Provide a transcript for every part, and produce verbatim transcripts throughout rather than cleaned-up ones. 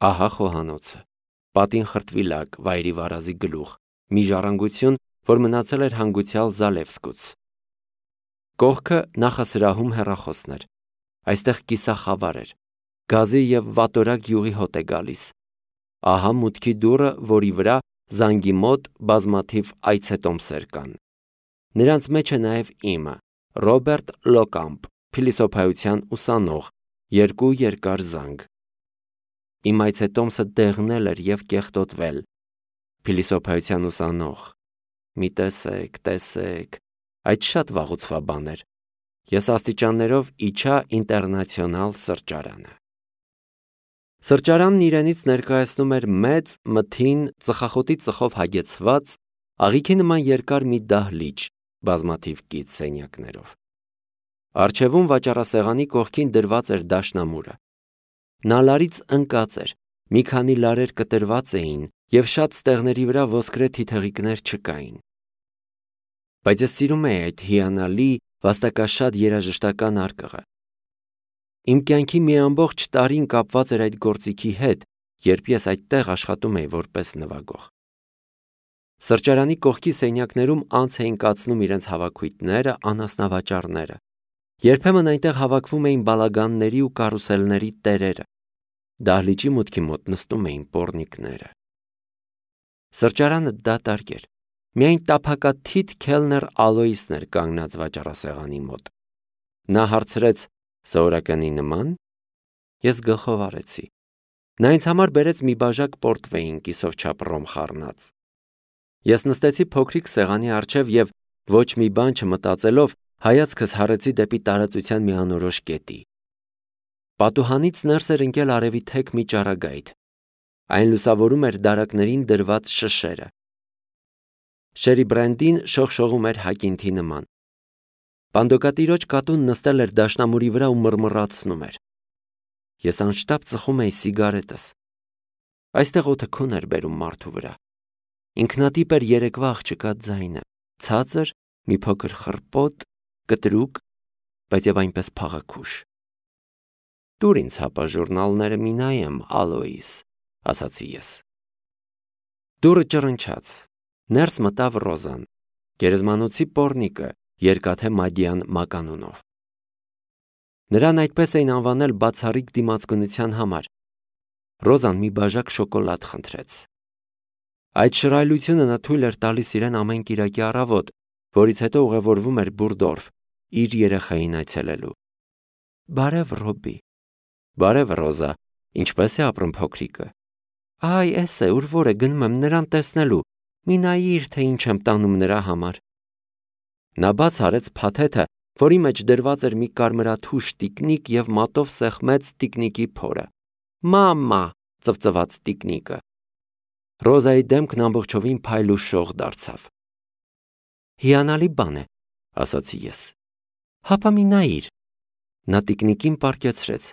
Ահա խոհանոցը, պատին խրտվիլակ, վայրի վարազի գլուխ, մի ժառանգություն, որ մնացել էր հանգուցյալ Զալևսկուց։ Կողքը նախասրահում հեռախոսներ, այստեղ կիսախավար էր, գազի և վատորակ յուղի հոտ է գալիս։ Ահա մուտքի դուռը, որի վրա զանգի մոտ բազմաթիվ այցետոմսեր կան։ Նրանց մեջ է նաև իմը, Ռոբերտ Լոկամպ, փիլիսոփայության ուսանող, երկու երկար զանգ։ Իմ այցետոմսը դեղնել էր և կեղտոտվել։ Փիլիսոփայության ուսանող։ Մի տեսեք, տեսեք, այդ շատ վաղուցվա բան էր։ Ես աստիճաններով իջա Ինտերնացիոնալ սրճարանը։ Սրճարանն իրենից ներկայացնում էր մեծ, մթին, ծխախոտի ծխով հագեցված, աղիքի նման երկար մի դահլիճ, բազմաթիվ կից սենյակներով։ Առջևում վաճառասեղանի կողքին դրված էր դաշնամուրը։ Նա լարից ընկած էր, մի քանի լարեր կտրված էին և շատ ստեղների վրա ոսկրե թիթեղիկներ չկային։ Բայց ես սիրում էի այդ հիանալի, վաստակաշատ երաժշտական արկղը։ Իմ կյանքի մի ամբողջ տարին կապված էր այդ գործիքի հետ, երբ ես այդտեղ աշխատում էի որպես նվագող։ Սրճարանի կողքի սենյակներում անց էին կացնում իրենց հավաքույթները, անասնավաճառները։ Երբեմն այնտեղ հավաքվում էին բալագանների ու կարուսելների տերերը։ Դահլիճի մուտքի մոտ նստում էին պոռնիկները։ Սրճարանը դատարկ էր։ Միայն տափակաթիթ քելներ Ալոիսն էր կանգնած վաճառասեղանի մոտ։ Նա հարցրեց. «Սովորականի նման»։ Ես գլխով արեցի։ Նա ինձ համար բերեց մի բաժակ պորտվեին կիսով չափ ռոմ խառնած։ Ես նստեցի փոքրիկ սեղանի առջև և, ոչ մի բան չմտածելով, հայացքս հառեցի դեպի տարածության մի անորոշ կետի։ Պատուհանից ներս էր ընկել արևի թեք մի ճառագայթ։ Այն լուսավորում էր դարակներին դրված շշերը։ Շերի Բրենդին շողշողում էր հակինթի նման։ Պանդոկատիրոջ կատուն նստել էր դաշնամուրի վրա ու մռմռացնում էր։ Ես անշտապ ծխում էի սիգարետս։ Այստեղ օդը քուն էր բերում մարդու վրա։ Ինքնատիպ էր երեկվա աղջկա ձայնը, ցածր, մի փոքր խռպոտ, կտրուկ, բայց և այնպես փաղաքուշ։ «Տուր ինձ հապա ժուրնալները մի նայեմ, Ալոիս», ասացի ես։ Դուռը ճռնչաց։ Ներս մտավ Ռոզան, գերեզմանոցի պոռնիկը, երկաթե մադյան մականունով։ Նրան այդպես էին անվանել բացառիկ դիմացկունության համար։ Ռոզան մի բաժակ շոկոլադ խնդրեց։ Այդ շռայլությունը նա թույլ էր տալիս իրեն ամեն կիրակի առավոտ, որից հետո ուղևորվում էր Բուրդորֆ, իր երեխային այցելելու։ Բարև, Ռոբի։ Բարև, Ռոզա, ինչպե՞ս է ապրում փոքրիկը։ Այ, էս է, ուր որ է, գնում եմ նրան տեսնելու, մի նայիր, թե ինչ եմ տանում նրա համար։ Նա բաց արեց փաթեթը, որի մեջ դրված էր մի կարմրաթուշ տիկնիկ և մատով սեղմեց տիկնիկի փորը։ Մամա, ծվծվաց տիկնիկը։ Ռոզայի դեմքն ամբողջովին փայլ ու շող դարձավ։ Հիանալի բան է, ասացի ես։ Հապա մի նայիր։ Նա տիկնիկին պառկեցրեց։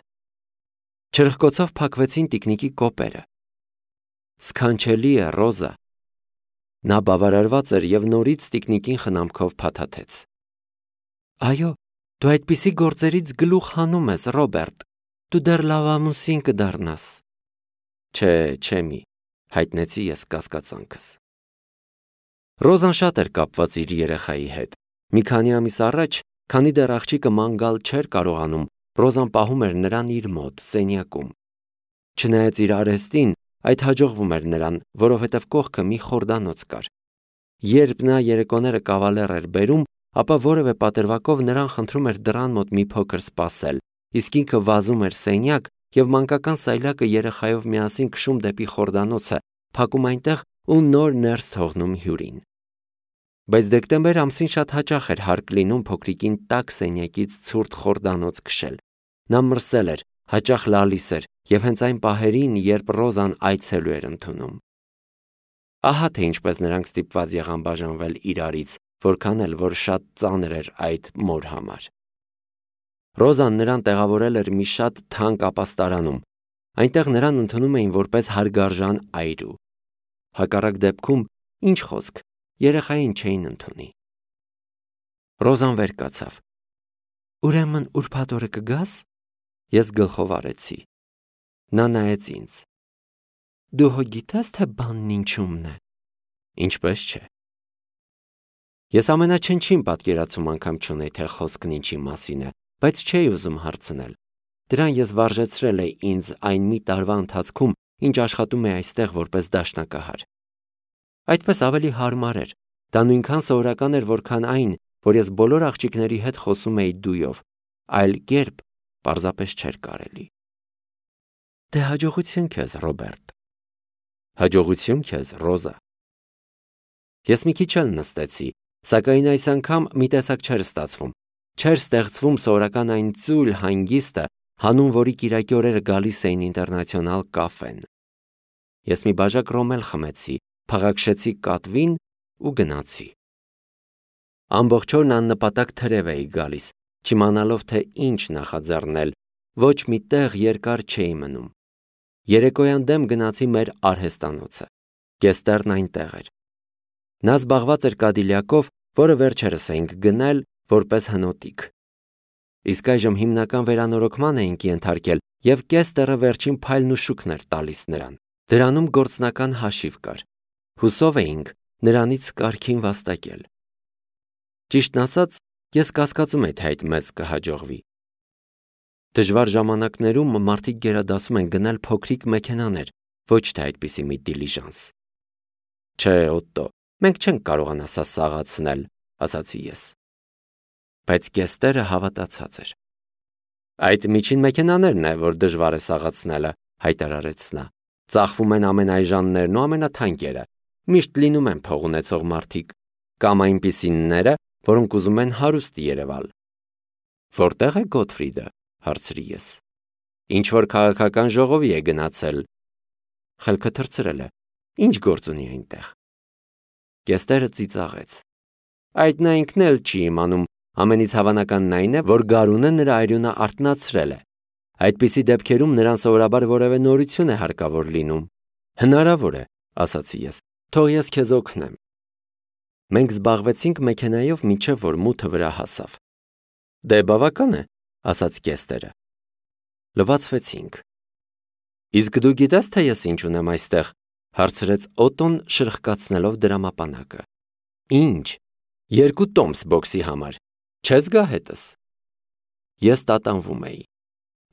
Չրխկոցով փակվեցին տիկնիկի կոպերը։ Սքանչելի է, Ռոզա։ Նա բավարարված էր և նորից տիկնիկին խնամքով փաթաթեց։ Այո, դու այդպիսի գործերից գլուխ հանում ես, Ռոբերտ, դու դեռ լավ ամուսին կդառնաս։ Չէ, չէ մի, հայտնեցի ես կասկածանքս։ Ռոզան շատ էր կապված իր երեխայի հետ։ Մի քանի ամիս առաջ, քանի դեռ աղջիկը ման գալ չէր կարողանում, Ռոզան պահում էր նրան իր մոտ, սենյակում։ Չնայած իր արհեստին, այդ հաջողվում էր նրան, որովհետև կողքը մի խորդանոց կար։ Երբ նա երեկոները կավալեր էր բերում, ապա որևէ պատրվակով նրան խնդրում էր դռան մոտ մի փոքր սպասել, իսկ ինքը վազում էր սենյակ և մանկական սայլակը երեխայով միասին քշում դեպի խորդանոցը, փակում այնտեղ ու նոր ներս թողնում հյուրին։ Բայց դեկտեմբեր ամսին շատ հաճախ էր հարկ լինում փոքրիկին տաք սենյակից ցուրտ խորդանոց քշել։ Նա մրսել էր, հաճախ լալիս էր և հենց այն պահերին, երբ Ռոզան այցելու էր ընդունում։ Ահա թե ինչպես նրանք ստիպված եղան բաժանվել իրարից, որքան էլ որ շատ ծանր էր այդ մոր համար։ Ռոզան նրան տեղավորել էր մի շատ թանկ ապաստարանում։ Այնտեղ նրան ընդունում էին որպես հարգարժան այրու։ Հակառակ դեպքում, ինչ խոսք, երեխային չէին ընդունի։ Ռոզան վեր կացավ։ Ուրեմն ուրբաթ օրը կգա՞ս։ Ես գլխով արեցի։ Նա նայեց ինձ։ Դու հո գիտես, թե բանն ինչումն է։ Ինչպես չէ։ Ես ամենաչնչին պատկերացում անգամ չունեի, թե խոսքն ինչի մասին է, բայց չէի ուզում հարցնել։ Դրան ես վարժեցրել էի ինձ այն մի տարվա ընթացքում, ինչ աշխատում էի այստեղ որպես դաշնակահար։ Այդպես ավելի հարմար էր։ Դա նույնքան սովորական էր, որքան այն, որ ես բոլոր աղջիկների հետ խոսում էի դույով, այլ կերպ պարզապես չէր կարելի։ Դե հաջողություն քեզ, Ռոբերտ։ Հաջողություն քեզ, Ռոզա։ Ես մի քիչ էլ նստեցի, սակայն այս անգամ մի տեսակ չէր ստացվում։ Չէր ստեղծվում սովորական այն ծույլ հանգիստը, հանուն որի կիրակի օրերը գալիս էին ինտերնացիոնալ կաֆեն։ Ես մի բաժակ ռոմել խմեցի, փաղաքշեցի կատվին ու գնացի։ Ամբողջ օրն աննպատակ թրև էի գալիս, չիմանալով թե ինչ նախաձեռնել, ոչ մի տեղ երկար չէի մնում։ Երեկոյան դեմ գնացի մեր արհեստանոցը։ Կեստերն այնտեղ էր։ Նա զբաղված էր Կադիլյակով, որը վերջերս էինք գնել որպես հնոտիկ։ Իսկ այժմ հիմնական վերանորոգման էինք ենթարկել, և Կեստերը վերջին փայլն ու շուքն էր տալիս նրան։ Դրանում գործնական հաշիվ կար։ Հուսով էինք նրանից կարգին վաստակել։ Ճիշտն ասած, ես կասկածում էի, թե այդ մեզ կհաջողվի։ Դժվար ժամանակներում մարդիկ գերադասում են գնել փոքրիկ մեքենաներ, ոչ թե այդպիսի մի դիլիժանս։ Չէ, Օտտո, մենք չենք կարողանա սա սաղացնել, ասացի ես։ Բայց Կեստերը հավատացած էր։ Այդ միջին մեքենաներն է, որ դժվար է սաղացնելը, հայտարարեց նա։ Ծախվում են ամենայժաններն ու ամենաթանկերը, միշտ լինում են փող ունեցող մարդիկ, կամ այնպիսինները, որոնք ուզում են հարուստ երևալ։ Որտեղ է Գոթֆրիդը, հարցրի ես։ Ինչ որ քաղաքական ժողովի է գնացել։ Խելքը թռցրել է։ Ինչ գործ ունի այնտեղ։ Կեստերը ծիծաղեց։ Այդ նա ինքն էլ չի իմանում, ամենից հավանականն այն է, որ գարունը նրա այրունը արթնացրել է։ Այդպիսի դեպքերում նրան սովորաբար որևէ նորություն է հարկավոր լինում։ Հնարավոր է, ասացի ես, թող ես քեզ օգնեմ։ Մենք զբաղվեցինք մեքենայով մինչև որ մութը վրա հասավ։ Դե բավական է, ասաց Կեստերը։ Լվացվեցինք։ Իսկ դու գիտես, թե ես ինչ ունեմ այստեղ, հարցրեց Օտոն շրխկացնելով դրամապանակը։ Ինչ։ Երկու տոմս բոքսի համար։ Չես գա հետս։ Ես տատանվում էի։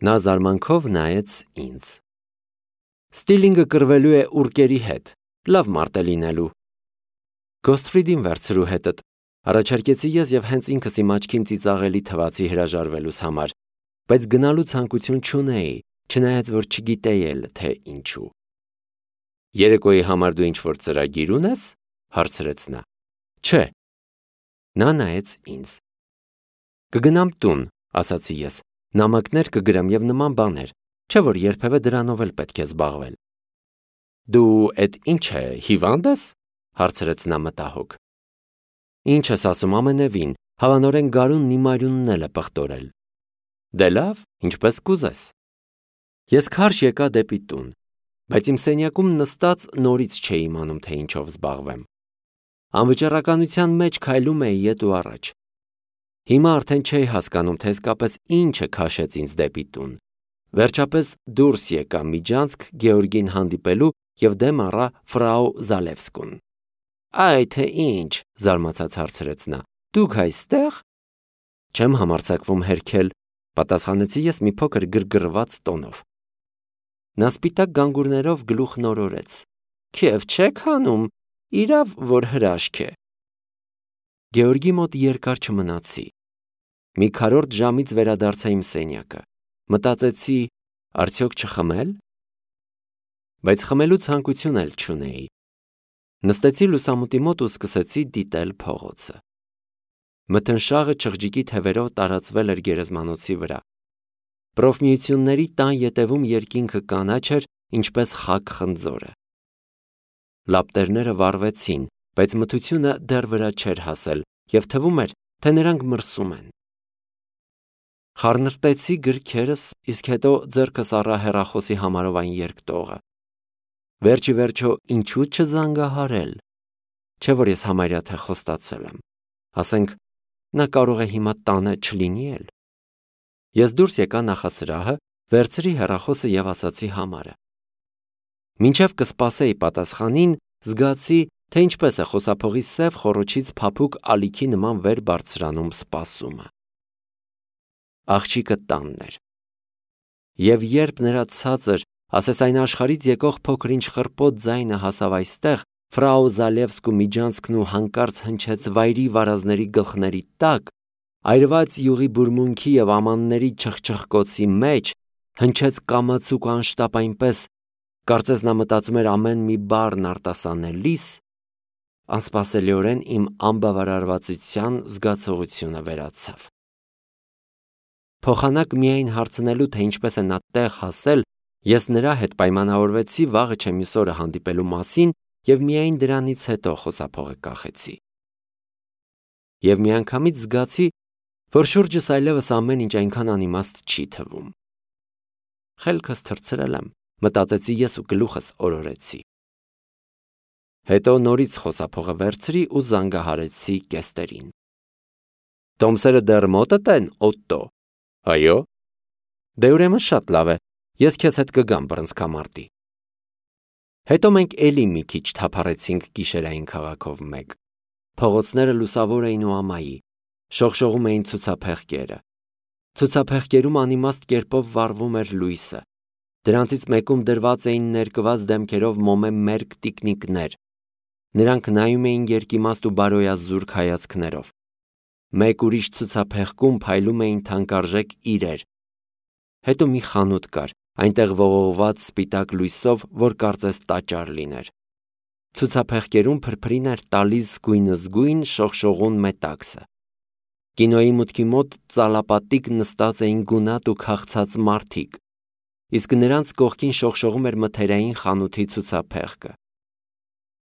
Նա զարմանքով նայեց ինձ։ Ստիլինգը կռվելու է ուրկերի հետ, լավ մարդ է լինելու։ Գոթֆրիդին վերցրու հետդ, առաջարկեցի ես և հենց ինքս իմ աչքին ծիծաղելի թվացի հրաժարվելուս համար, բայց գնալու ցանկություն չունեի, չնայած որ չգիտեի էլ, թե ինչու։ Երեկոյի համար դու ինչ-որ ծրագիր ունես, հարցրեց նա։ Չէ։ Նա նայեց ինձ։ Կգնամ տուն, ասացի ես, նամակներ կգրեմ և նման բաներ, չէ որ երբևէ դրանով էլ պետք է զբաղվել։ Դու էդ ինչ է, հիվանդ ես, հարցրեց նա մտահոգ։ Ինչ ես ասում, ամենևին, հավանորեն գարունն իմ այրունն էլ է պղտորել։ Դե լավ, ինչպես կուզես։ Ես քարշ եկա դեպի տուն, բայց իմ սենյակում նստած նորից չէի իմանում, թե ինչով զբաղվեմ։ Անվճռականության մեջ քայլում էի ետ ու առաջ։ Հիմա արդեն չէի հասկանում, թե իսկապես ինչը քաշեց ինձ դեպի տուն։ Վերջապես դուրս եկա միջանցք Գեորգին հանդիպելու և դեմ առա ֆրау Զալևսկուն։ Այ թե ինչ, զարմացած հարցրեց նա, դուք այստեղ։ Չեմ համարձակվում հերքել, պատասխանեցի ես մի փոքր գրգռված տոնով։ Նա սպիտակ գանգուրներով գլուխն օրորեց։ Քեֆ չեք հանում, իրավ որ հրաշք է։ Գեորգի մոտ երկար չմնացի։ Մի քառորդ ժամից վերադարձա իմ սենյակը։ Մտածեցի, արդյոք չխմել։ Բայց խմելու ցանկություն էլ չունեի։ Նստեցի լուսամուտի մոտ ու սկսեցի դիտել փողոցը։ Մթնշաղը չղջիկի թևերով տարածվել էր գերեզմանոցի վրա։ Պրոֆմիությունների տան ետևում երկինքը կանաչ էր, ինչպես խաք խնձորը։ Լապտերները վառվեցին, բայց մթությունը դեռ վրա չէր հասել, և թվում էր, թե նրանք մրսում են։ Խառնրտեցի գրքերս, իսկ հետո ձեռքս առա հեռախոսի համարով այն երկտողը։ Վերջի վերջո ինչու չզանգահարել։ Չէ որ ես համարյա թե խոստացել եմ։ Ասենք, նա կարող է հիմա տանը չլինի էլ։ Ես դուրս եկա նախասրահը, վերցրի հեռախոսը և ասացի համարը։ Մինչև կսպասեի պատասխանին, զգացի, թե ինչպես է խոսափողի սև խոռոչից փափուկ ալիքի նման վեր բարձրանում սպասումը։ Աղջիկը տանն էր։ Եվ երբ նրա ցածր, ասես այն աշխարից եկող փոքր-ինչ խռպոտ ձայնը հասավ այստեղ, Ֆրաու Զալևսկու միջանցքն ու հանկարծ հնչեց վայրի վարազների գլխների տակ, այրված յուղի բուրմունքի և ամանների չխչխկոցի մեջ, հնչեց կամացուկ ու անշտապ այնպես, կարծես նա մտածում էր ամեն մի բառն արտասանելիս, անսպասելիորեն իմ անբավարարվածության զգացողությունը վերացավ։ Փոխանակ միայն հարցնելու, թե ինչպես է նա տեղ հասել, ես նրա հետ պայմանավորվեցի վաղը չեմիս օրը հանդիպելու մասին և միայն դրանից հետո խոսափողը կախեցի։ Եվ միանգամից զգացի, որ շուրջս այլևս ամեն ինչ այնքան անիմաստ չի թվում։ Խելքս թռցրել եմ, մտածեցի ես ու գլուխս օրորեցի։ Հետո նորից խոսափողը վերցրի ու զանգահարեցի կեստերին։ Տոմսերը դեռ մոտդ են, Օտտո։ Այո։ Դե ուրեմն շատ լավ է, ես քեզ հետ կգամ բռնցքամարտի։ Հետո մենք էլի մի քիչ թափառեցինք գիշերային քաղաքով մեկ։ Փողոցները լուսավոր էին ու ամայի, շողշողում էին ցուցափեղկերը։ Ցուցափեղկերում անիմաստ կերպով վառվում էր լույսը։ Դրանցից մեկում դրված էին ներկված դեմքերով մոմե մերկ տիկնիկներ։ Նրանք նայում էին երկիմաստ ու բարոյազուրկ հայացքներով։ Մեկ ուրիշ ցուցափեղկում փայլում էին թանկարժեք իրեր։ Հետո մի խանութ կար, այնտեղ ողողված սպիտակ լույսով, որ կարծես տաճար լիներ։ Ցուցափեղկերում փրփրին էր տալիս զգույնզգույն շողշողուն մետաքսը։ Կինոյի մուտքի մոտ ծալապատիկ նստած էին գունատ ու քաղցած մարդիկ, իսկ նրանց կողքին շողշողում էր մթերային խանութի ցուցափեղկը։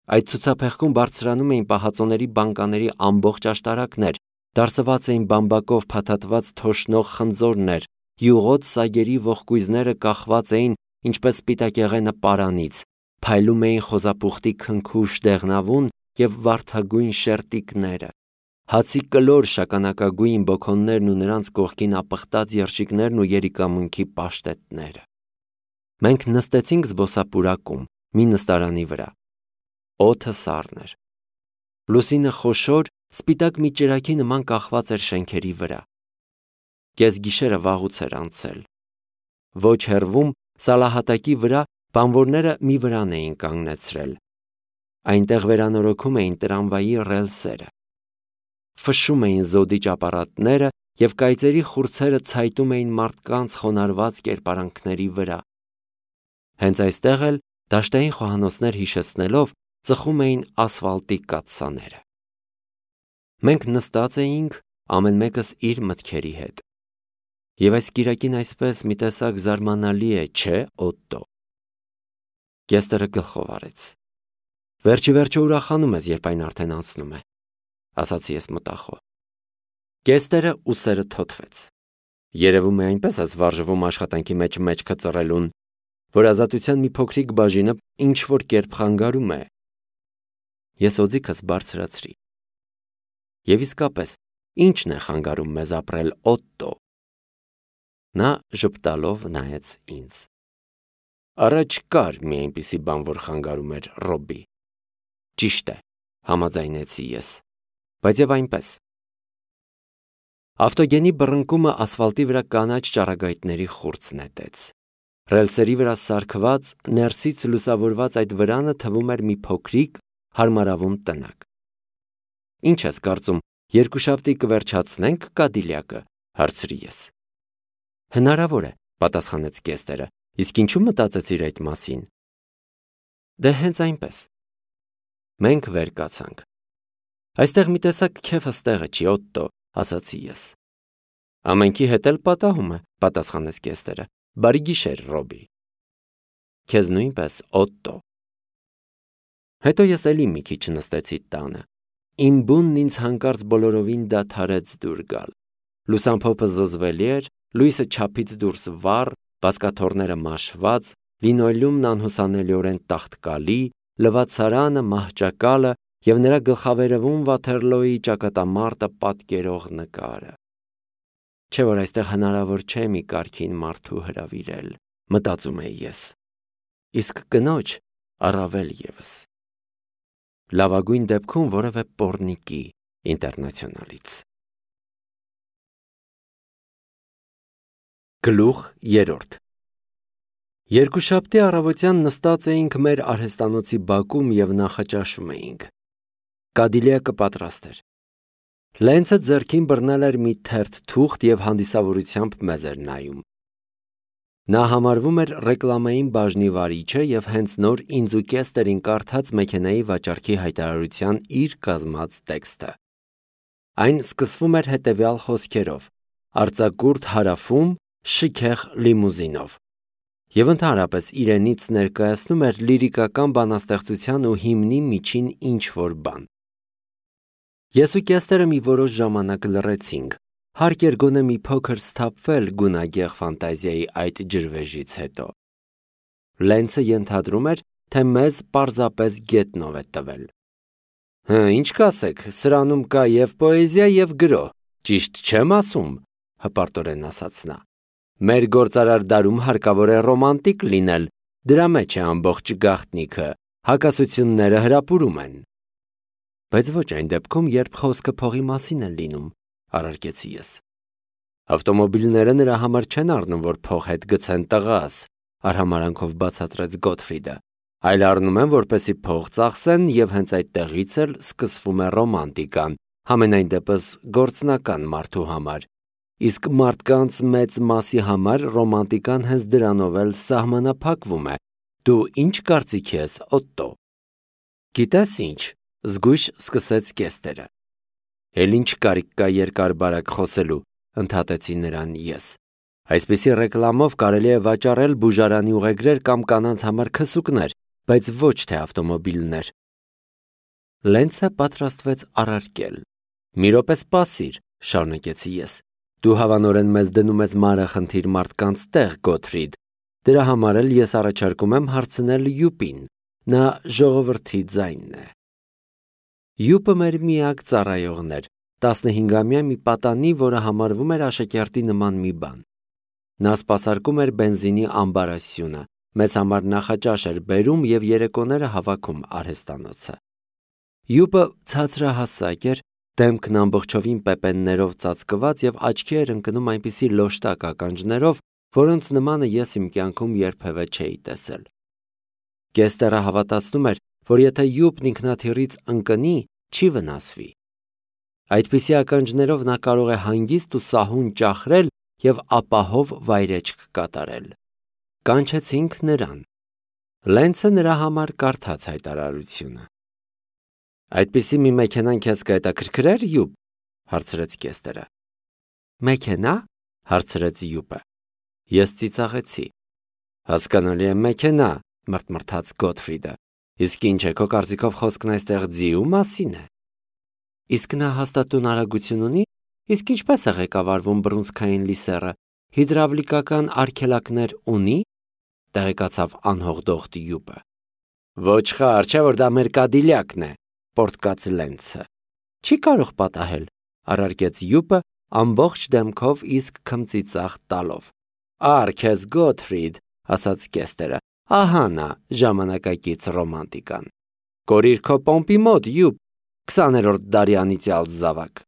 Այդ ցուցափեղկում բարձրանում էին պահածոների բանկաների ամբողջ աշտարակներ, դարսված էին բամբակով փաթաթված թոշնող խնձորներ, յուղոտ սագերի ողկույզները կախված էին ինչպես սպիտակեղենը պարանից, փայլում էին խոզապուխտի քնքուշ դեղնավուն և վարդագույն շերտիկները, հացի կլոր շագանակագույն բոքոններն ու նրանց կողքին ապխտած երշիկներն ու երիկամունքի պաշտետները։ Մենք նստեցինք զբոսապուրակում, մի նստարանի վրա։ Օդը սառն էր։ Լուսինը խոշոր, սպիտակ մի ճրագի նման կախված էր շենքերի վրա։ Կեսգիշերը վաղուց էր անցել։ Ոչ հեռվում, սալահատակի վրա բանվորները մի վրան էին կանգնեցրել։ Այնտեղ վերանորոգում էին տրամվայի ռելսերը։ Ֆշշում էին զոդի ճապարատները և կայծերի խուրձերը ցայտում էին մարդկանց խոնարհված կերպարանքների վրա։ Հենց այստեղ էլ, դաշտային խոհանոցներ հիշեցնելով, ծխում էին ասֆալտի կաթսաները։ Մենք նստած էինք, ամեն մեկս իր մտքերի հետ։ Եվ այս կիրակին այսպես մի տեսակ զարմանալի է, չէ, Օտտո։ Կեստրը գլխով արեց։ Վերջի վերջը ուրախանում ես, երբ այն արդեն անցնում է, ասացի ես մտախոհ։ Կեստրը ուսերը թոթվեց։ Երևում է այնպես ես վարժվում աշխատանքի մեջ մեջքը ծռելուն, որ ազատության մի փոքրիկ բաժինը ինչ-որ կերպ խանգարում է։ Ես օձիքս բարձրացրի։ Եվ իսկապես, ի՞նչն է խանգարում մեզ ապրել, Օտտո։ Նա ժպտալով նայեց ինձ։ Առաջ կար մի այնպիսի բան, որ խանգարում էր, Ռոբի։ Ճիշտ է, համաձայնեցի ես, բայց եւ այնպես։ Ավտոգենի բռնկումը ասֆալտի վրա կանաչ ճառագայթների խուրձ նետեց։ Ռելսերի վրա սարքված, ներսից լուսավորված այդ վրանը թվում էր մի փոքրիկ, հարմարավուն տնակ։ Ինչ ես կարծում, երկուշաբթի կվերջացնենք Կադիլյակը, հարցրի ես։ Հնարավոր է, պատասխանեց Կեստրը, իսկ ինչու մտածեցիր այդ մասին։ Դե հենց այնպես։ Մենք վեր կացանք։ Այստեղ մի տեսակ քեֆս տեղը չի, Օտտո, ասացի ես։ Ամենքի հետ էլ պատահում է, պատասխանեց Կեստրը։ Բարի գիշեր, Ռոբի։ Քեզ նույնպես, Օտտո։ Հետո ես էլի մի քիչ նստեցի տանը։ Իմ բունն ինձ հանկարծ բոլորովին դադարեց դուր գալ։ Լուսամփոփը զզվելի էր, լույսը չափից դուրս վառ, բազկաթոռները մաշված, լինոլեումն անհուսանելիորեն տաղտկալի, լվացարանը մահճակալը և նրա գլխավերևում Վաթերլոյի ճակատամարտը պատկերող նկարը։ Չէ՞ որ այստեղ հնարավոր չէ մի կարգին մարդու հրավիրել, մտածում էի ես։ Իսկ կնոջ առավել ևս։ Լավագույն դեպքում որևէ պոռնիկի ինտերնացիոնալից։ Գլուխ երրորդ։ Երկուշաբթի առավոտյան նստած էինք մեր արհեստանոցի բակում և նախաճաշում էինք։ Կադիլյակը պատրաստ էր։ Լենցը ձեռքին բռնել էր մի թերթ թուղթ և հանդիսավորությամբ մեզ էր նայում։ Նա համարվում էր ռեկլամային բաժնի վարիչը և հենց նոր ինձ ու Կեստերին կարդաց մեքենայի վաճառքի հայտարարության իր կազմած տեքստը։ Այն սկսվում էր հետևյալ խոսքերով. «Արձակուրդ Հարավում շքեղ լիմուզինով» և ընդհանրապես իրենից ներկայացնում էր լիրիկական բանաստեղծության ու հիմնի միջին ինչ-որ բան։ Ես ու Կեստերը մի որոշ ժամանակ լռեցինք, հարկ էր գոնե մի փոքր սթափվել գունագեղ ֆանտազիայի այդ ջրվեժից հետո։ Լենցը ենթադրում էր, թե մեզ պարզապես գետնով է տվել։ «Հը, ինչ կասեք, սրանում կա և պոեզիա, և գրոհ, ճիշտ չեմ ասում», հպարտորեն ասաց նա։ «Մեր գործարար դարում հարկավոր է ռոմանտիկ լինել, դրա մեջ է ամբողջ գաղտնիքը, հակասությունները հրապուրում են»։ Բայց ոչ այն դեպքում, երբ խոսքը փողի մասին է լինում, առարկեցի ես։ Ավտոմոբիլները նրա համար չեն առնում, որ փող հետ գցեն տղաս, արհամարհանքով բացատրեց Գոթֆրիդը, այլ առնում են, որպեսզի փող ծախսեն, և հենց այդտեղից էլ սկսվում է ռոմանտիկան, համենայն դեպս գործնական մարդու համար, իսկ մարդկանց մեծ մասի համար ռոմանտիկան հենց դրանով էլ սահմանափակվում է։ Դու ինչ կարծիքի ես, Օտտո։ Գիտես ինչ, զգույշ սկսեց Կեստերը։ Էլ ինչ կարիք կա երկար-բարակ խոսելու, ընդհատեցի նրան ես։ Այսպիսի ռեկլամով կարելի է վաճառել բուժարանի ուղեգրեր կամ կանանց համար քսուկներ, բայց ոչ թե ավտոմոբիլներ։ Լենցը պատրաստվեց առարկել։ Մի րոպե սպասիր, շարունակեցի ես։ Դու հավանորեն մեզ դնում ես մանրախնդիր մարդկանց տեղ, Գոթֆրիդ։ Դրա համար էլ ես առաջարկում եմ հարցնել Յուպին։ Նա ժողովրդի ձայնն է։ Յուպը մեր միակ ծառայողն էր, տասնհինգամյա մի պատանի, որը համարվում էր աշակերտի նման մի բան։ Նա սպասարկում էր բենզինի ամբարասյունը, մեզ համար նախաճաշ էր բերում և երեկոները հավաքում արհեստանոցը։ Յուպը ցածրահասակ էր, դեմքն ամբողջովին պեպեններով ծածկված և աչքի էր ընկնում այնպիսի լոշտակ ականջներով, որոնց նմանը ես իմ կյանքում երբևէ չէի տեսել։ Կեստերը հավատացնում էր, որ եթե Յուպն ինքնաթիռից ընկնի, չի վնասվի։ Այդպիսի ականջներով նա կարող է հանգիստ ու սահուն ճախրել և ապահով վայրեջք կատարել։ Կանչեցինք նրան։ Լենցը նրա համար կարդաց հայտարարությունը։ Այդպիսի մի մեքենան քեզ կհետաքրքրեր, Յուպ, հարցրեց Կեստերը։ Մեքենա, հարցրեց Յուպը։ Ես ծիծաղեցի։ Հասկանալի է, մեքենա, մրթմրթաց Գոթֆրիդը։ Իսկ ինչ է, քո կարծիքով խոսքն այստեղ ձիու մասին է։ Իսկ նա հաստատուն արագություն ունի, իսկ ինչպես է ղեկավարվում բռունցքային լիսեռը, հիդրավլիկական արգելակներ ունի, տեղեկացավ անհողդողտ Յուպը։ Ոչխար, չէ որ դա մեր Կադիլյակն է, պոռթկաց Լենցը։ Չի կարող պատահել, առարկեց Յուպը ամբողջ դեմքով իսկ քմծիծաղ տալով։ Ար քեզ Գոթֆրիդ, ասաց Կեստերը, ահա նա ժամանակակից ռոմանտիկան։ Կորիր քո պոմպի մոտ, Յուպ, քսաներորդ դարի անիծյալ զավակ։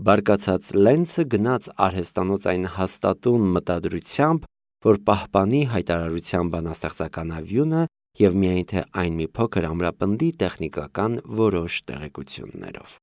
Բարկացած Լենցը գնաց արհեստանոց այն հաստատուն մտադրությամբ, որ պահպանի հայտարարության բանաստեղծական ավյունը և միայն թե այն մի փոքր ամրապնդի տեխնիկական որոշ տեղեկություններով։